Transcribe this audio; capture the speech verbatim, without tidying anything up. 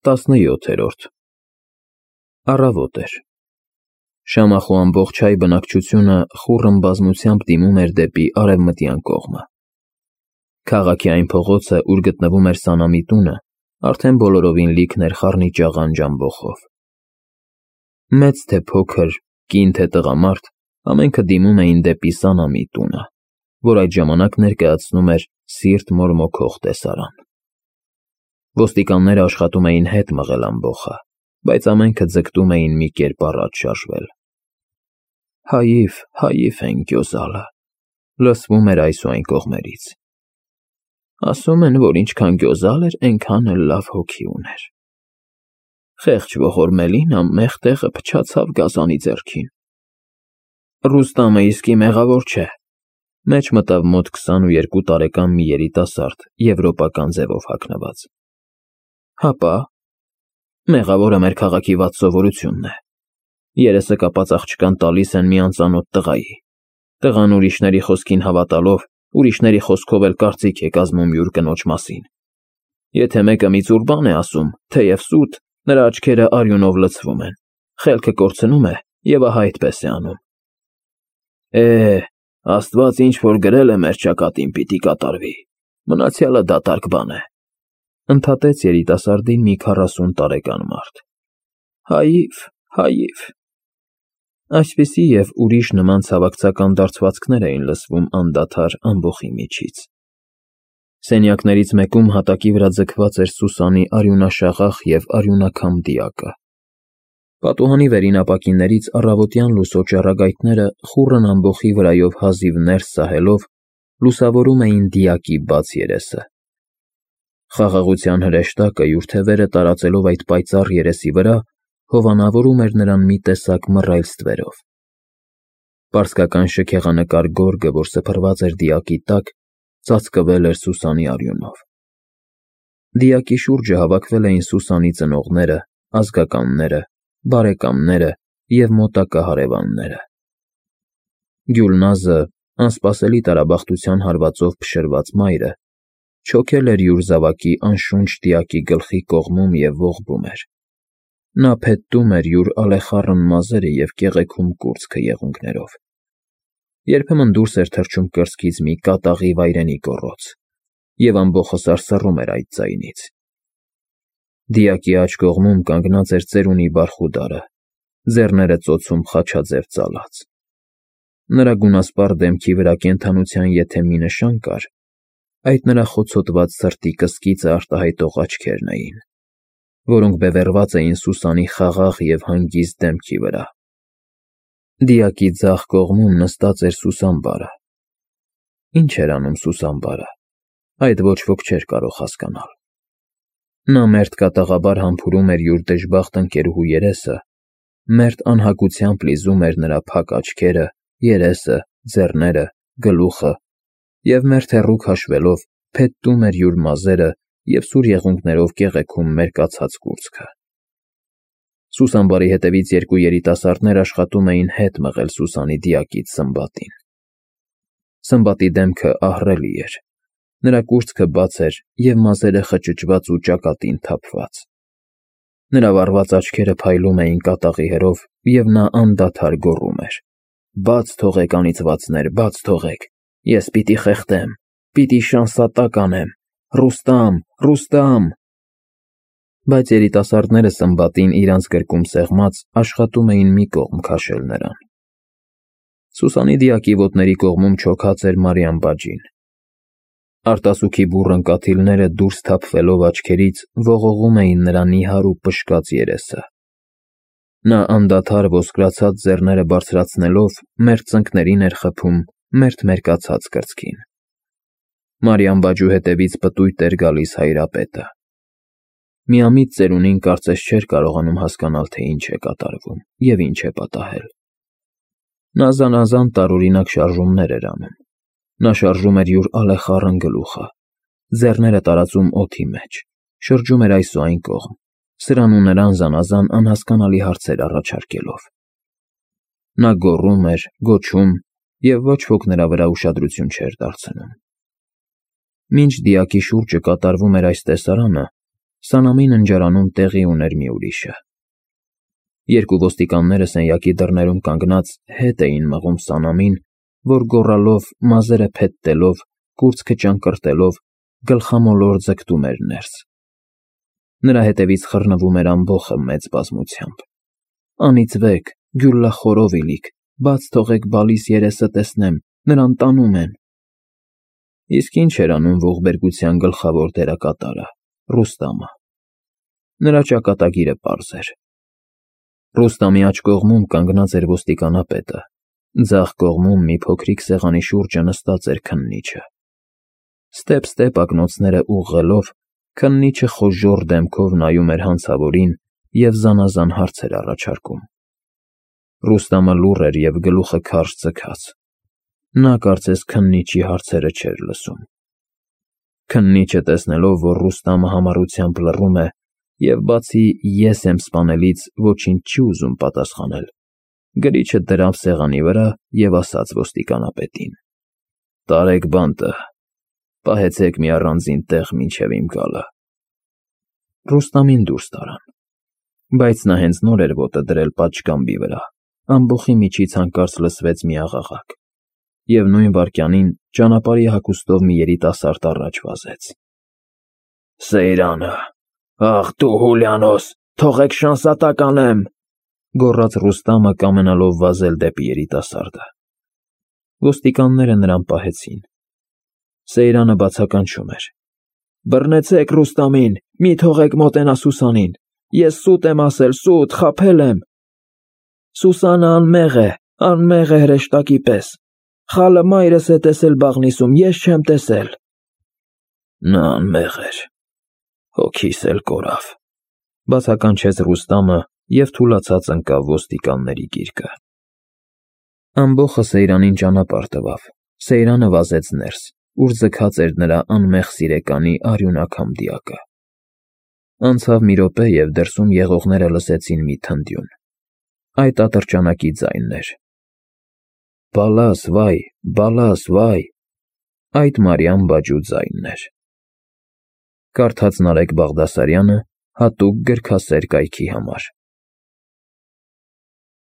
տասնյոթերորդ Առավոտ էր։ Շամախու ամբողջ հայ բնակչությունը խուռն բազմությամբ դիմում էր դեպի արևմտյան կողմը։ Քաղաքի այն փողոցը, ուր գտնվում էր Սանամի տունը, արդեն բոլորովին լիքն էր խառնիճաղան ժամբոխով։ Մեծ թե փոքր, կին թե տղամարդ, ամենքը դիմում էին դեպի Սանամի տունը, որ այդ ժամանակ ներկայացնում էր սիրտ մորմոքող տեսարան։ Ոստիկանները աշխատում էին հետ մղել ամբոխը, բայց ամենքը ձգտում էին մի կերպ առաջ շարժվել։ Հայիվ, հայիվ են գյոզալը, լսվում էր այս ու այն կողմերից։ Ասում են, որ ինչքան գյոզալ էր, այնքան էլ լավ հոգի ուներ։ Խեղճ ողորմելին ամեղ տեղը փչացավ գազանի ձեռքին։ Ռուստամը իսկի մեղավոր չէ, մեջ մտավ մոտ քսանուերկու տարեկան մի երիտասարդ, եվրոպական ձևով հագնված։ Հապա, մեղավորը մեր քաղաքի վատ սովորությունն է։ Երեսը կապած աղջկան տալիս են մի անծանոթ տղայի։ Տղան ուրիշների խոսքին հավատալով, ուրիշների խոսքով էլ կարծիք է կազմում յուր կնոջ մասին։ Եթե մեկը մի ծուր բան է ասում, թեև սուտ, նրա աչքերը արյունով լցվում են, խելքը կորցնում է և ահա այդպես է անում։ Է, Աստված ինչ որ գրել է մեր ճակատին պիտի կատարվի, մնացյալը դատարկ բան է, ընդհատեց երիտասարդին մի քառասուն տարեկան մարդ։ Հայիվ, հայիվ։ Այսպիսի և ուրիշ նման ցավակցական դարձվածքներ էին լսվում անդադար ամբոխի միջից։ Սենյակներից մեկում հատակի վրա ձգված էր Սուսանի արյունաշաղախ և արյունաքամ դիակը։ Պատուհանի վերին ապակիներից առավոտյան լուսո ճառագայթները խուռն ամբոխի վրայով հազիվ ներս սահելով լուսավորում էին դիակի բաց երեսը։ Խաղաղության հրեշտակը յուր թևերը տարածելով այդ պայծառ երեսի վրա, հովանավորում էր նրան մի տեսակ մռայլ ստվերով։ Պարսկական շքեղանկար գորգը, որ սփռված էր դիակի տակ, ծածկվել էր Սուսանի արյունով։ Դիակի շուրջը հավաքվել էին Սուսանի ծնողները, ազգականները, բարեկամները և մոտակա հարևանները։ Գյուլնազը, անսպասելի տարաբախտության հարվածով փշրված մայրը, չոքել էր յուր զավակի անշունչ դիակի գլխի կողմում և ողբում էր։ Նա փետտում էր յուր ալեխառն մազերը և կեղեքում կուրծքը եղունգներով։ Երբեմն դուրս էր թռչում կրծքից մի կատաղի վայրենի գոռոց, և ամբոխը սարսռում էր այդ ձայնից։ Դիակի աջ կողմում կանգնած էր ծերունի բարխուդարը, ձեռները ծոցում խաչաձև ծալած։ Նրա գունասպառ դեմքի վրա կենդանության եթե մի նշան կար, այդ նրա խոցոտված սրտի կսկիծը արտահայտող աչքերն էին, որոնք բևեռված էին Սուսանի խաղաղ և հանգիստ դեմքի վրա։ Դիակի ձախ կողմում նստած էր Սուսանբարը։ Ինչ էր անում Սուսանբարը, այդ ոչ ոք չէր կարող հասկանալ։ Նա մերթ կատաղաբար համբուրում էր յուր դժբախտ ընկերուհու երեսը, մերթ անհագությամբ լիզում էր նրա փակ աչքերը, երեսը, ձեռները, գլուխը և մերթ հեռու քաշվելով փետտում էր յուր մազերը և սուր եղունգներով կեղեքում մերկացած կուրծքը։ Սուսանբարի հետևից երկու երիտասարդներ աշխատում էին հետ մղել Սուսանի դիակից Սմբատին։ Սմբատի դեմքը ահռելի էր, նրա կուրծքը բաց էր և մազերը խճճված ու ճակատին թափված։ Նրա վառված աչքերը փայլում էին կատաղի հերով, և նա անդադար գոռում էր. Բաց թողեք, անիծվածներ, բաց թողեք, ես պիտի խեղդեմ, պիտի շանսատակ անեմ, Ռուստամ, Ռուստամ։ Բայց երիտասարդները Սմբատին իրանց գրկում սեղմած աշխատում էին մի կողմ քաշել նրան։ Սուսանի դիակի ոտների կողմում չոքած էր Մարիամ բաջին։ Արտասուքի բուռն կաթիլները դուրս թափվելով աչքերից ողողում էին նրա նիհար ու պշկած երեսը։ Նա անդադար ոսկրացած ձեռները բարձրացնելով մերթ ծնկներին էր խփում, մերթ մերկացած կրծքին։ Մարիամ բաջու հետևից պտույտ էր գալիս հայրապետը։ Միամիտ ծերունին կարծես չէր կարողանում հասկանալ, թե ինչ է կատարվում և ինչ է պատահել։ Նա զանազան տարօրինակ շարժումներ էր անում։ Նա շարժում էր յուր ալեխառն գլուխը, ձեռները տարածում օդի մեջ, շրջում էր այս ու այն կողմ, սրան ու նրան զանազան անհասկանալի հարցեր առաջարկելով։ Նա գոռում էր, գոչում, և ոչ ոք նրա վրա ուշադրություն չէր դարձնում։ Մինչ դիակի շուրջը կատարվում էր այս տեսարանը, Սանամի ննջարանում տեղի ուներ մի ուրիշը։ Երկու ոստիկանները սենյակի դռներում կանգնած հետ էին մղում Սանամին, որ գոռալով, մազերը փետտելով, կուրծքը ճանկռտելով, գլխամոլոր ձգտում էր ներս։ Նրա հետևից խռնվում էր ամբոխը մեծ բազմությամբ։ «Անիծվեք, գյուլլախորով իլիք, բաց թողեք բալիս երեսը տեսնեմ, նրան տանում են»։ Իսկ ինչ էր անում ողբերգության գլխավոր դերակատարը՝ Ռուստամը։ Նրա ճակատագիրը պարզ էր։ Ռուստամի աջ կողմում կանգնած էր ոստիկանապետը, ձախ կողմում մի փոքրիկ սեղանի շուրջը նստած էր քննիչը։ Ստեպ-ստեպ ակնոցները ուղղելով, քննիչը խոժոռ դեմքով նայում էր հանցավորին և զանազան հարցեր առաջարկում։ Ռուստամը լուռ էր և գլուխը քարշ ձգած։ Նա կարծես քննիչի հարցերը չէր լսում։ Քննիչը, տեսնելով, որ Ռուստամը համառությամբ լռում է և բացի «ես եմ սպանելից» ոչինչ չի ուզում պատասխանել, գրիչը դրավ սեղանի վրա և ասաց ոստիկանապետին. «Տարեք բանտը, պահեցեք մի առանձին տեղ մինչև իմ գալը»։ Ռուստամին դուրս տարան, բայց նա հենց նոր էր ոտը դրել պատշգամբի վրա, ամբոխի միջից հանկարծ լսվեց մի աղաղակ, և նույն վայրկյանին ճանապարհի հագուստով մի երիտասարդ առաջ վազեց։ «Սեյրանը, ախ դու Հուլիանոս, թողեք շանսատակ անեմ», գոռաց Ռուստամը, կամենալով վազել դեպի երիտասարդը։ Ոստիկանները նրան պահեցին։ Սեյրանը բացականչում էր. «Բռնեցեք Ռուստամին, մի թողեք մոտենա Սուսանին, ես սուտ եմ ասել, սուտ, խաբել եմ»։ «Սուսանը անմեղ է, անմեղ է հրեշտակի պես, խալը մայրս է տեսել բաղնիցում, ես չեմ տեսել»։ «Նա անմեղ էր, հոգիս էլ կորավ», բացականչեց Ռուստամը և թուլացած ընկավ ոստիկանների գիրկը։ Ամբոխը Սեյրանին ճանապարհ տվավ, Սեյրանը վազեց ներս, ուր ձգած էր նրա անմեղ սիրեկանի արյունակ համդիակը։ Անցավ մի րոպե, և դրսում եղողները լսեցին մի թնդյուն։ Այդ ատրճանակի ձայնն էր. «Բալաս, վայ, բալաս, վայ»։ Այդ Մարիամ Բաջու ձայնն էր։ Կարդաց Նարեկ Բաղդասարյանը հատուկ գրքասեր կայքի համար։